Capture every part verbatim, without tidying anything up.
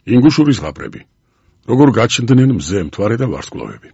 ინგუშურის ზღაპრები, როგორ გაჩნდნენ მზე, მთვარე და ვარსკვლავები.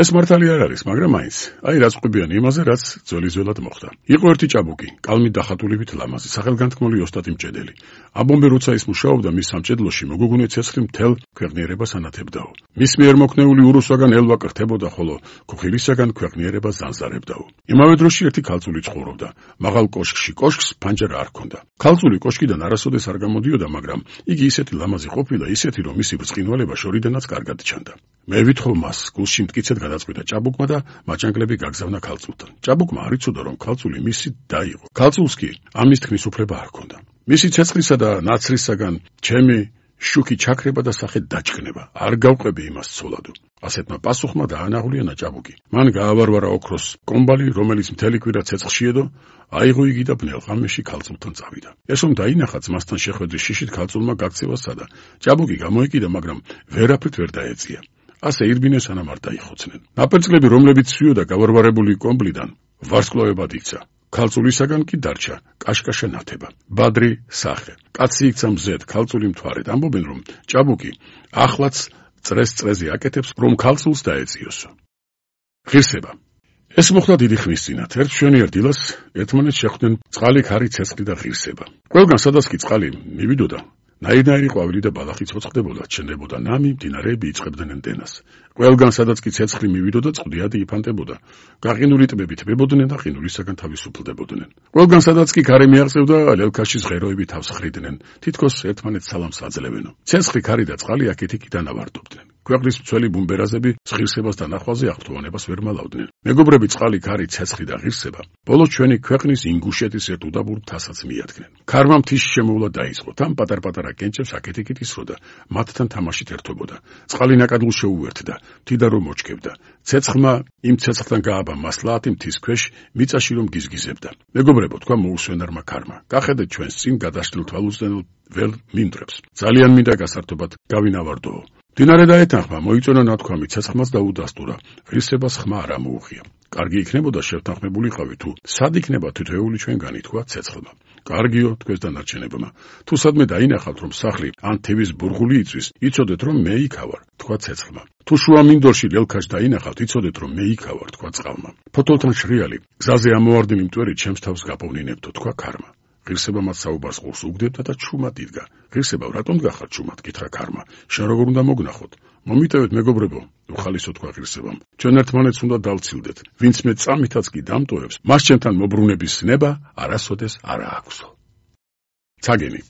ეს მართალი არ არის, მაგრამ მაინც, აი რაც ყვებიან იმაზე, რაც ძველიზველად მოხდა. იყო ერთი ჭაბუკი, კალმით დახატულებით ლამაზი, სახელგანთქმული ოსტატი მჭედელი. ამბობენ, როცა ის მუშაობდა მის სამჭედლოში, მოგოგონე ცეცხლი მთელ ქვეყნიერებას ანათებდაო. მის მიერ მოქნეული ურუსაგან ელვა კრთებოდა, ხოლო ქუხილისაგან ქვეყნიერებას ზანზარებდაო. იმავე დროში ერთი ქალწული ცხოვრობდა, მაღალ კოშკში, კოშკს ფანჯარა არ ჰქონდა. ქალწული კოშკიდან არასოდეს არ გამოდიოდა, მაგრამ იგი ისეთი ლამაზი ყოფილა, ისეთი, რომ მისი ბრწყინვალება შორიდანაც კარგად ჩანდა. მე ვითხოვ მას, გულში მტკიცედ გადაწყვიტა ჭაბუკმა და მაჭანგლები გაგზავნა ქალწულთან. ჭაბუკმა არ იცოდა, რომ ქალწული მისი და იყო. ქალწულს კი ამის თქმის უფლება არ ჰქონდა. მისი ცეცხლისა და ნაცრისაგან ჩემი შუქი ჩაქრება და სახე დაჭკნება. არ გავყვები იმას ცოლადო. ასეთმა პასუხმა დაანაღვლიანა ჭაბუკი. მან გაავარვარა ოქროს კომბალი, რომელიც მთელი კვირა ცეცხლში ედო, აიღო იგი და ბნელ ღამეში ქალწულთან წავიდა. ეს რომ დაინახა ძმასთან შეხვედრის შიშით ქალწულმა გაქცევა სცადა. ჭაბუკი გამოიკიდა, მაგრამ ვერაფრით ვერ დაეწია. ასე ირბინეს სანამ არ დაიხოცნენ. ნაპერწკლები, რომლებიც სვიოდა გავარვარებული კომბლიდან, ვარსკვლავებად იქცა. ქალწულისაგან კი დარჩა კაშკაშა ნათება, ბადრი სახე. კაცი იქცა მზედ, ქალწული მთვარედ. ამბობენ, რომ ჭაბუკი ახლაც წრეს წრეზე აკეთებს, რომ ქალწულს დაეწიოსო. ღირსება. ეს მოხდა დიდი ხნის წინათ. ერთ მშვენიერ დილას ერთმანეთს შეხვდნენ წყალი, ქარი, ცეცხლი და ღირსება. ყველგან სადაც კი წყალი მივიდოდა, ნაირნაირი ყვავილი და ბალახი ცოცხდებოდა, ჩნდებოდა ნამი, მდინარეები იწყებდნენ დენას. ყველგან სადაც კი ცეცხლი მივიდოდა, წყდიადი იფანტებოდა. გაყინული ტბები თბებოდნენ და ყინულისაგან თავისუფლდებოდნენ. ყველგან სადაც კი ქარი მიაღწევდა, ლელქაშის ღეროები თავს ხრიდნენ, თითქოს ერთმანეთს სალამს აძლევენო. ცეცხლი, ქარი და წყალი აქეთ-იქ დანავარდობდნენ. ქვეყნის მცველი ბუმბერაზები ღირსებას და ნახვაზე აღფრთოვანებას ვერ მალავდნენ. მეგობრები, წყალი, ქარი, ცეცხლი და ღირსება ბოლოს ჩვენი ქვეყნის ინგუშეთის ერთ უდაბურ მთასაც მიადგნენ. ქარმა მთის შემოვლა დაიწყო. თან პატარ-პატარა კენჭებს აქეთ-იქით ისროდა, მათთან თამაშით ერთობოდა. წყალი ნაკადულ შეუერთდა, თიდა რომ მოჩქებდა. ცეცხლმა იმ ცეცხლთან გააბა მასლაათი მთის ქვეშ, მიწაში რომ გიზგიზებდა. მეგობრებო, თქვა მოუსვენარმა ქარმა, გახედეთ ჩვენს წინ გადაშლილ თვალუსწნელ ველ მინდვრებს. ძალიან მინდა გასართობად გავინავარდოო. მდინარე დაეთანხმა, მოიწონა ნათქვამი, ცეცხლმაც დაუდასტურა, ღირსებას ხმა არ ამოუღია. კარგი იქნებოდა შევთანხმებულიყავი, თუ სად იქნება თითოეული ჩვენგანი, თქვა ცეცხლმა. კარგიო, თქვენს დანარჩენებმა. თუ სადმე დაინახავთ, რომ სახლი ან თევის ბურღული იწვის, იცოდეთ, რომ მე იქ ავარ, თქვა ცეცხლმა. თუ შუა მინდორში ლელქაშ დაინახავთ, იცოდეთ, რომ მე იქ ავარ, თქვა წყალმა. ფოთოლთან შრიალი, გზაზე ამოვარდნილი მტვერი ჩემს თავს გაპოვნინებდო, თქვა ქარმა. ღირსება მათ საუბარს ყურს უგდებდა და ჩუმად იდგა. ღირსება, რატომ გახარ ჩუმად, კითხა ქარმა. შენ როგორ უნდა მოგნახოთ? მომიტევეთ, მეგობრებო, უხალისო, თქვა ღირსებამ. ჩვენ ერთმანეთს უნდა დავცილდეთ. ვინც მე წამითაც კი დამტოვებს, მას ჩემთან მობრუნების ნება არასოდეს არ აქვსო. ცაგენი.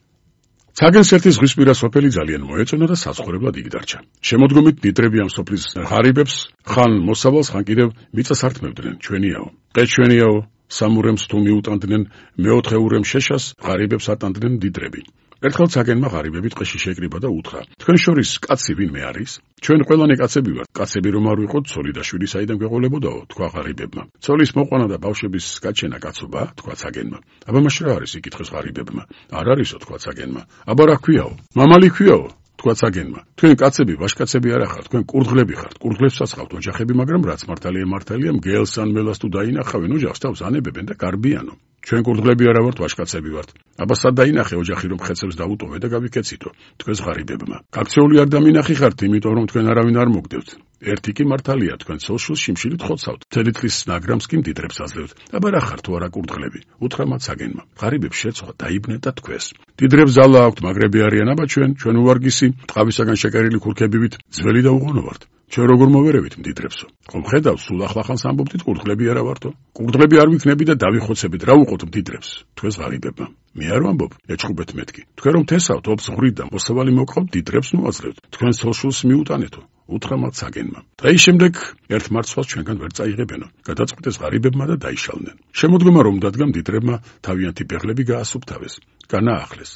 ცაგენს ერთი ზღვისპირა სოფელი ძალიან მოეწონა და საცხოვრებლად იქ დარჩა. შემოდგომით ნიტრები ამ სოფლის ღარიბებს ხან მოსავალს, ხან კიდევ მიწას ართმევდნენ. ჩვენიაო, ყე ჩვენიაო, სამურემს თუ მიუტანდნენ, მეოთხე ურემ შეშას ღარიბებს ატანდნენ ნიტრები. ერთხელ ცაგენმა ღარიბები ტყეში შეკრიბა და უთხრა: თქვენ შორის კაცი ვინმე არის? ჩვენ ყველანი კაცები ვართ. კაცები რომ არ ვიყოთ, ცოლი და შვილი საიდან გვეყოლებოდაო, თქვა ღარიბებმა. ცოლის მოყვანა და ბავშვების გაჩენა კაცობა, თქვა ცაგენმა. აბა მაშ რა არის? იკითხეს ღარიბებმა. არ არისო, თქვა ცაგენმა. აბა რა ქვიაო? მამალი ქვიაო, თქვა ცაგენმა. თქვენ კაცები, ვაჟკაცები არ ახართ, თქვენ კურდღლები ხართ. კურდღლებსაც ხავთ ოჯახები, მაგრამ რაც მართალია მართალია, მგელს ან მელას თუ დაინახავენ, ოჯახს თავს ანებებენ და გარბიანო. ჩვენ კურდღლები არა ვართ, ვაჟკაცები ვართ. აბა სად დაინახე ოჯახი, რომ ხეცებს დაუტოვე და გავიკეციტო, თქვენს ღარიბებმა. გაქცეული არ დამინახი ხართ, იმიტომ რომ თქვენ არავინ არ მოგდევთ. ერთი კი მართალია, თქვენ ცოლშვილს შიმშილით ხოცავთ, მთელი დღის ნაგრამს კი მდიდრებს აძლევთ. აბა რა ხართ თუ არა კურდღლები? უთხრა მათ ცაგენმა. ღარიბებს შეცვალა, დაიბნეთ და თქვეს. მდიდრებს ძალა აქვთ, მაგრები არიან, აბა ჩვენ, ჩვენ უვარგისი, ტყავისაგან შეკერილი ქურქებივით ძველი და უღონო ვართ. ჩვენ როგორ მოვერევით მდიდრებსო? ხომ ხედავ, სულ ახლახანს ამბობდით, კურდღლები არა ვართო? კურდღლები არ ვიქნები და დავიხოცებით, რა უყოთ მდიდრებს? თქვენს ღარიბებმა. მე არ ვამბობ, ეჭხუბეთ მეთქი. თქვენ რომ თესავთ, ობს ღვრით და მოსავალი მოყავთ, მდიდრებს ნუ აძლევთ. თქვენ სოშულს მიუტანეთო. უთხრა მათ ცაგენმა. დღის შემდეგ ერთ მარცვალს ჩვენგან ვერ წაიღებენო. გადაწყვიტეს ღარიბებმა და დაიშალნენ. შემოდგომა რომ დადგა, მდიდრებმა თავიანთი ბეღლები გაასუფთავეს, განაახლეს.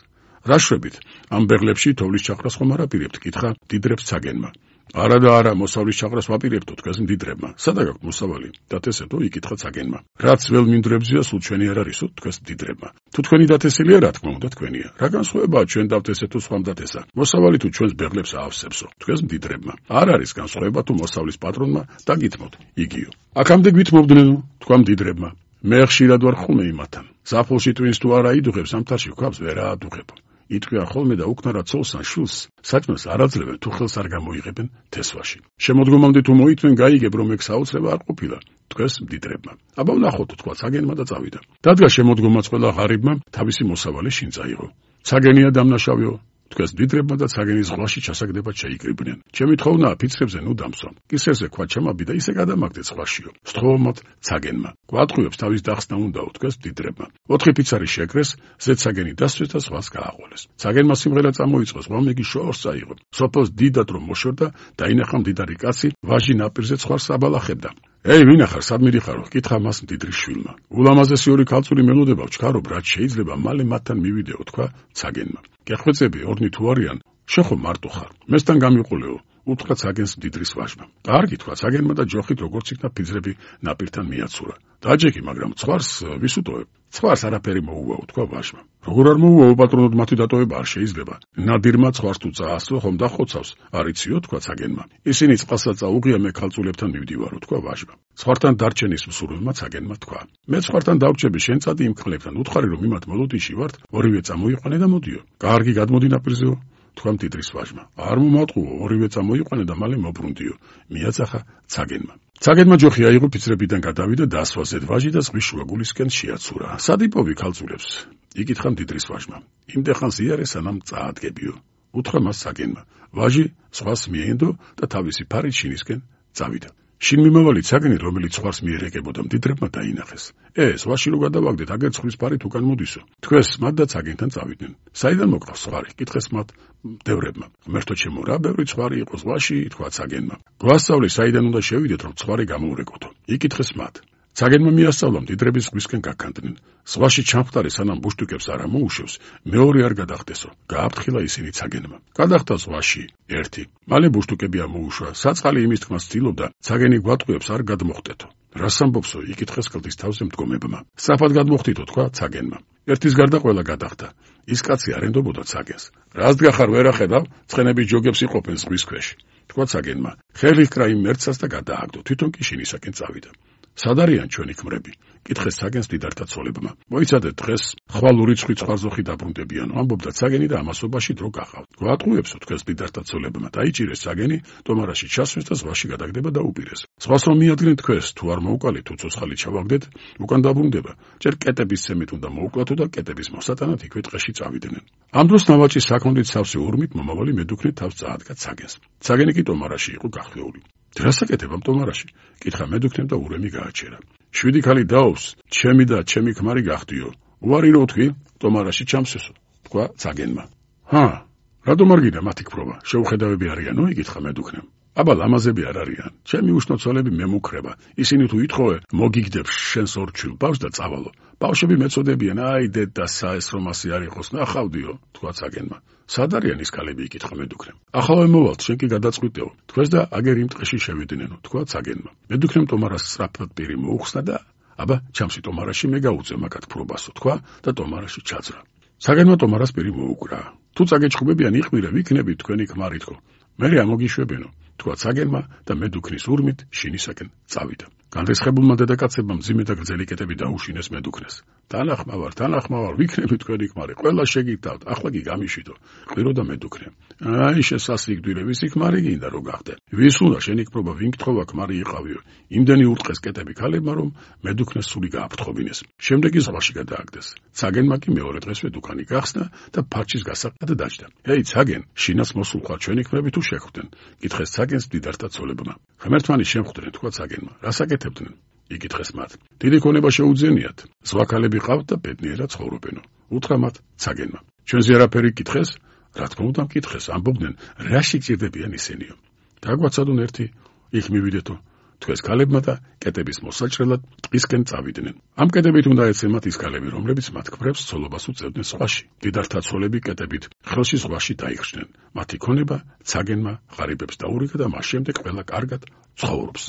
რა შვებით, ამ ბეღლებში თოვლის ჩაყრას ხომ არ აპირებთ? კითხა მდიდრებს ცაგენმა. არა და არა, მოსავლის ჩაყრას ვაპირებთო, თქვენს მდიდრებმა. სადა გაქვთ მოსავალი? დათესეთო, იკითხა ცაგენმა. რაც վել მინდვრებზია, სულ ჩვენი არ არისო, თქვენს მდიდრებმა. თუ თქვენი დათესილია, რა თქმა უნდა თქვენია. რა განსხვავებაა ჩვენ დავთესეთო, სხვამ დათესა? მოსავალი თუ ჩვენს ბეღლებს აავსებსო, თქვენს მდიდრებმა. არ არის განსხვავება თუ მოსავლის პატრონმა დაგითმოთ, იგიო. აქამდე გვითმობდნენო, თქვა მდიდრებმა. მე ხშირად ვარ ხუმე იმათთან. ზაფხულში ტვინს თუ არა იდუღებს, ამთარში ვქავს ვერ აადუღებო. იტყვიან ხოლმე და უკნარა ცოლს ან შვილს საჭმელს არ აძლევენ თუ ხელს არ გამოიღებენ თესვაში. შემოდგომამდე თუ მოიწვენ გაიგებ რომ ეგ საოცრება არ ყოფილა. თქვენს მდიდრებმა. აბა ვნახოთ თქვა ცაგენმა და წავიდა. დადგა შემოდგომაც ყველა ღარიბმა თავისი მოსავალი შინ წაიღო. ცაგენია დამნაშავეო. თქვენს მდიდრებმა და ცაგენის ზღვაში ჩასაგდებად შეიკრიბნენ. ჩემი თხოვნაა ფიცრებზე ნუ დამსვა. კისერზე ქვა ჩამაბი და ისე გადამაგდეთ ზღვაშიო. სთხოვობთ ცაგენმა. გვატყუებს თავის დახსნა უნდაო თქვენს მდიდრებმა. ოთხი ფიცარი შეკრეს, ზედ ცაგენი დასვეს და ზღვას გააყოლეს. ცაგენმა სიმღერა წამოიწყო, ზღვამეგი შორს წაიღო. სოფელს დიდად რომ მოშორდა, დაინახა მდიდარი კაცი, ვაჟი ნაპირზე ცხარს აბალახებდა. ეი, ვინახარ, სად მიდიხარო? კითხა მას მდიდრის შვილმა. ულამაზესი ორი ქალწული მელოდება ვჩქარობ, რაც შეიძლება მალე მათთან მივიდეო, თქვა ცაგენმა. გეხვეწები, ორნი თუ არიან, შეხო მარტო ხარ. მესთან გამიყოლეო, უთხრა ცაგენს მდიდრის ვაჟმა. კარგი, თქვა ცაგენმა და ჯოხით როგორც იქნა ფიძრები ნაპირთან მიაცურა. დაჯექი, მაგრამ ცხვარს ვის უტოვებ? ცხვარს არაფერი მოუვაო, თქვა ვაჟმა. როგორ არ მოუვაო, პატრონოდ მათი დატოვება არ შეიძლება. ნადირმა ცხვარს თუ წაასწრო, ხომ დახოცავს, არ იციო, თქვა ცაგენმა. ისინი წყალსაც წაუღია, მე ქალწულებთან მივდივარო, თქვა ვაჟმა. ცხვართან დარჩენის მსურველმა ცაგენმა თქვა. მე ცხვართან დავრჩები, შენ წადი იმ ქლებთან, უთხარი რომ იმათ მოლოდიში ვართ, ორივე წამოიყვანე და მოდიო. კარგი, გადმოდი ნაპირზეო. თქვა მდიდრის ვაჟმა. არ მომატყუო, ორივე წამოიყვანე და მალე მობრუნდიო. მიაწახა ცაგენმა. ცაგენმა ჯოხი აიღო, ფიცრებიდან გადავიდა და ასვასეთ ვაჟი და ზღვის შუაგულისკენ შეაცურა. სად იპოვი ქალწულებს? იკითხა მდიდრის ვაჟმა. იმდეხანს იარე სანამ წაადგებიო. უთხრა მას ცაგენმა. ვაჟი ზღვას მიენდო და თავისი ფარით შინისკენ წავიდა. შინ მიმავალი ცაგენი, რომელიც ზღვას მიერეკებოდა, მდიდრებმა დაინახეს. ე, ზღვაში რო გადავაგდეთ, აგერ ზღვის ფარით უკან მოდისო. თქვენს მათ და ცაგენთან წავიდნენ. საიდან მოკრავს ზღვარი? კითხეს მათ მდევრებმა. ღმერთო ჩემო, რა ბევრი ზღვარი იყო ზღვაში, თქვა ცაგენმა. გვასწავლე, საიდან უნდა შევიდეთ, რომ ზღვარი გამოურეკოთო. იკითხეს მათ. ცაგენმა მიასწავლა, მდიდრები ზღვისკენ გაქანდნენ. ზღვაში ჩამხტარი სანამ ბუშტუკებს არ ამოუშვებს, მეორე არ გადახდესო. გააფრთხილა ისინი ცაგენმა. გადახდა ზღვაში ერთი. მალე ბუშტუკები ამოუშვა. საწყალი იმის თქმას ცდილობდა, ცაგენი გვატყუებს არ გადმოხტეთო. რას ამბობსო? იკითხეს კლდის თავზე მდგომებმა. სწრაფად გადმოხტითო, თქვა ცაგენმა. ერთის გარდა ყველა გადახდა. ის კაცი არ ენდობოდა ცაგენს. რას დგახარ, ვერ ახედავ? ცხენების ჯოგებს იყოფენ ზღვის ქვეშ. თქვა ცაგენმა. ხელი ჰკრა იმ მერცას და გადააგდო. თვითონ კი შინისაკენ წავიდა. სად არიან ჩვენი ქმრები? კითხეს ცაგენს მდიდართა ცოლებმა. მოიცადეთ დღეს ხვალ რიცხვი ცხვარზოხი დაბრუნდებიანო, ამბობდა ცაგენი და ამასობაში დრო გახავთ. გვატყუებსო, თქვენს მდიდართა ცოლებმა. დაიჭირეს ცაგენი, ტომარაში ჩასვეს და ზღვაში გადაგდება და უპირეს. ზღვას რომ მიადგნენ თქვენს, თუ არ მოუყალით, თუ ცოცხალი ჩავაგდეთ, უკან დაბრუნდება. ჯერ კეტების ცემით უნდა მოუკლათო და კეტების მოსატანად იქვე ტყეში წავიდნენ. ამ დროს ნავაჭის საქონლით სავსე ურმით მომავალი მედუქნით თავს წაადგა ცაგენს. ცაგენი კი ტომარაში იყო გახლეული. რასაკეთებამ ტომარაში? კითხა მედუქნემ და ურემი გააჩერა. შვიდი ქალი დაობს, ჩემი და ჩემი ქმარი გახდიო. უარი რო თქვი, ტომარაში ჩამსესო, თქვა ცაგენმა. ჰა, რატომ არ გინდა მათი ქფრობა? შეუხედავები არიანო? იკითხა მედუქნემ. აბა ლამაზები არ არიან. ჩემი უშნო ცოლები მე მუქრება. ისინი თუ ითხოვე, მოგიგდებს შენს ორ ჩვილ ბავშვს და წავალო. ბავშვები მეწოდებიან, აი დედა საეს რომ ასე არ იყოს, ნახავდიო, თქვა ცაგენმა. სად არიან ის ქალები? იკითხა მედუქნემ. ახალვე მოვალთ, შენ კი გადაწყვიტეო. თქვენს და აგერ იმ ტყეში შევიდნენო, თქვა ცაგენმა. მედუქნემ ტომარას სწრაფად პირი მოუხსნა და აბა ჩამსი ტომარაში მე გაუწევ მაგათ ქფრობასო, თქვა და ტომარაში ჩაძრა. ცაგენმა ტომარას პირი მოუკრა. თუ წაგეჭხუბებიან იყმირე, ვიქნებით თქვენი ქმარი თქო. მე ამოგიშვებენო, თქვა ცაგენმა და მედუქნის ურმით შინისაკენ წავიდა. განრისხებულმა დედაკაცებმა მძიმე და გრძელი კეტები დაუშინეს მედუქნეს. თანახმავარ, თანახმავარ, ვიქნები თქვენი ქმარი, ყველა შეგიგდავთ, ახლა კი გამიშვიდო. ყვიროდა მედუქნე. აი შესასიკვდირე, ვისი ქმარი გინდა რო გახდე? ვის უნდა შენი ქფრობა, ვინ გთხოვა ქმარი იყავიო? იმდენი ურტყეს კეტები ქალებმა, რომ მედუქნეს სული გააფრთხობინეს. შემდეგი ზღვაში გადააგდეს. ცაგენმა კი მეორე დღესვე დუქანი გახსნა და ფარჩის გასაყდად დაჯდა. ეი ცაგენ, შინაც მოსულ ხარ ჩვენი ქმრები თუ შეხვდნენ? კითხეს ცაგენს მდიდართა ცოლებმა. ღმერთმანი შემხვდნენ, თქვა ცაგენმა. რასაკეთებდნენ? იკითხეს მათ. დიდი ქონება შეუძენიათ. ზვაქალები ყავთ და ბედნიერად ცხოვრობენო. უთხრა მათ ცაგენმა. ჩვენზე არაფერი კითხეს? რა თქმა უნდა მკითხეს, ამბობდნენ, რა სჭირდებიან ისინიო. დაგვაცადონ ერთი, იქ მივიდეთო. თქვენს ქალებმა და კეტების მოსაჭრელად ტყისკენ წავიდნენ. ამ კეტებით უნდა ეცემათ ის ქალები, რომლებიც მათ ქმრებს ცოლობას უწევდნენ ზღვაში. მდიდართა ცოლები კეტებით ხელში ზღვაში დაიხსნენ. მათი ქონება ცაგენმა ღარიბებს დაურიგა და მას შემდეგ ყველა კარგად ცხოვრობს.